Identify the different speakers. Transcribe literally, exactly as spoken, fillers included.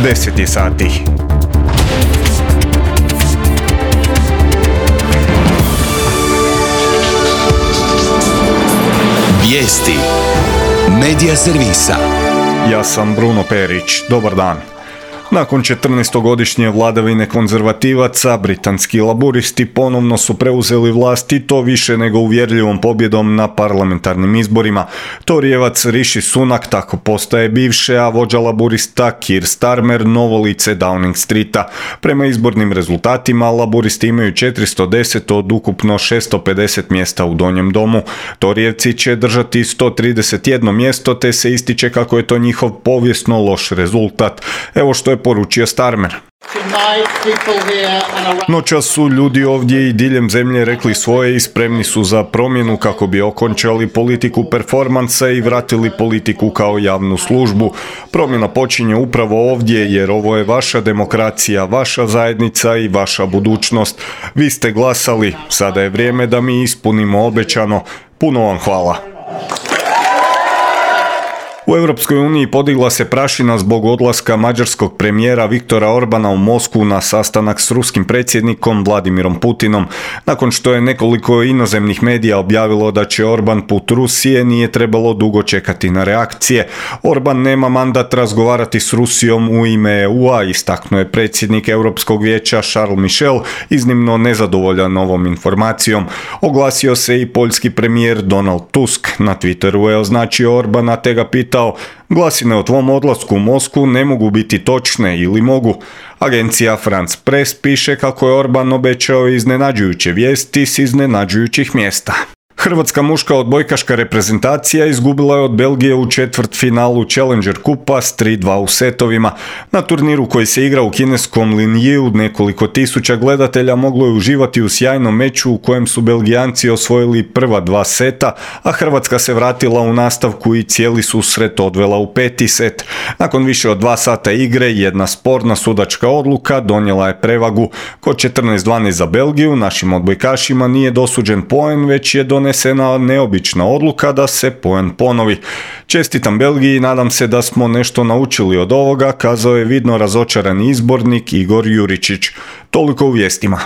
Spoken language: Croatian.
Speaker 1: deset je sati.
Speaker 2: Vijesti Medija servisa.
Speaker 1: Ja sam Bruno Perić. Dobar dan. Nakon četrnaestogodišnje vladavine konzervativaca, britanski laburisti ponovno su preuzeli vlast i to više nego uvjerljivom pobjedom na parlamentarnim izborima. Torijevac Rishi Sunak tako postaje bivše, a vođa laburista Keir Starmer novo lice Downing Streeta. Prema izbornim rezultatima, laburisti imaju četiristo deset od ukupno šesto pedeset mjesta u Donjem domu. Torijevci će držati sto trideset jedno mjesto, te se ističe kako je to njihov povijesno loš rezultat. Evo što je poručio Starmer. Noćas su ljudi ovdje i diljem zemlje rekli svoje i spremni su za promjenu kako bi okončali politiku performansa i vratili politiku kao javnu službu. Promjena počinje upravo ovdje jer ovo je vaša demokracija, vaša zajednica i vaša budućnost. Vi ste glasali, sada je vrijeme da mi ispunimo obećano. Puno vam hvala. U Europskoj uniji podigla se prašina zbog odlaska mađarskog premijera Viktora Orbana u Moskvu na sastanak s ruskim predsjednikom Vladimirom Putinom. Nakon što je nekoliko inozemnih medija objavilo da će Orban put Rusije, nije trebalo dugo čekati na reakcije. Orban nema mandat razgovarati s Rusijom u ime E U-a, istaknuo je predsjednik Europskog vijeća Charles Michel, iznimno nezadovoljan ovom informacijom. Oglasio se i poljski premijer Donald Tusk. Na Twitteru je označio Orbana te ga pitao: glasine o tvom odlasku u Moskvu ne mogu biti točne ili mogu. Agencija France Press piše kako je Orban obećao iznenađujuće vijesti s iznenađujućih mjesta. Hrvatska muška odbojkaška reprezentacija izgubila je od Belgije u četvrtfinalu Challenger kupa s tri dva u setovima. Na turniru koji se igra u kineskom Linjiu nekoliko tisuća gledatelja moglo je uživati u sjajnom meču u kojem su Belgijanci osvojili prva dva seta, a Hrvatska se vratila u nastavku i cijeli susret odvela u peti set. Nakon više od dva sata igre, jedna sporna sudačka odluka donijela je prevagu. Kod četrnaest dvanaest za Belgiju našim odbojkašima nije dosuđen poen, već je donesena neobična odluka da se poen ponovi. Čestitam Belgiji i nadam se da smo nešto naučili od ovoga, kazao je vidno razočarani izbornik Igor Juričić. Toliko u vijestima.